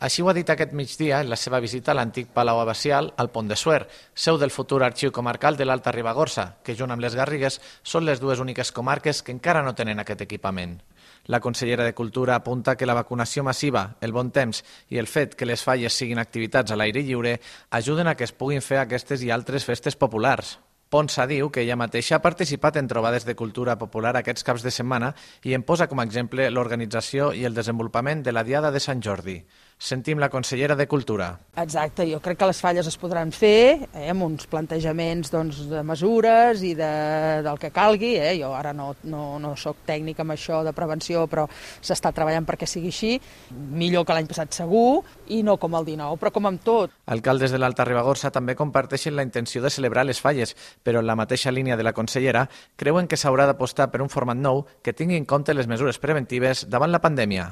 Així ho ha dit aquest migdia en la seva visita a l'antic Palau Abacial al Pont de Suert, seu del futur arxiu comarcal de l'Alta Ribagorça, que junt amb les Garrigues són les dues úniques comarques que encara no tenen aquest equipament. La consellera de Cultura apunta que la vacunació massiva, el bon temps i el fet que les falles siguin activitats a l'aire lliure ajuden a que es puguin fer aquestes i altres festes populars. Ponsa diu que ella mateixa ha participat en trobades de cultura popular aquests caps de setmana i en posa com a exemple l'organització i el desenvolupament de la Diada de Sant Jordi. Sentim la consellera de Cultura. Exacte, jo crec que les falles es podran fer amb uns plantejaments de mesures i del que calgui. Jo ara no soc tècnica amb això de prevenció, però s'està treballant perquè sigui així. Millor que l'any passat segur, i no com el 19, però com amb tot. Alcaldes de l'Alta Ribagorça també comparteixen la intenció de celebrar les falles, però en la mateixa línia de la consellera creuen que s'haurà d'apostar per un format nou que tingui en compte les mesures preventives davant la pandèmia.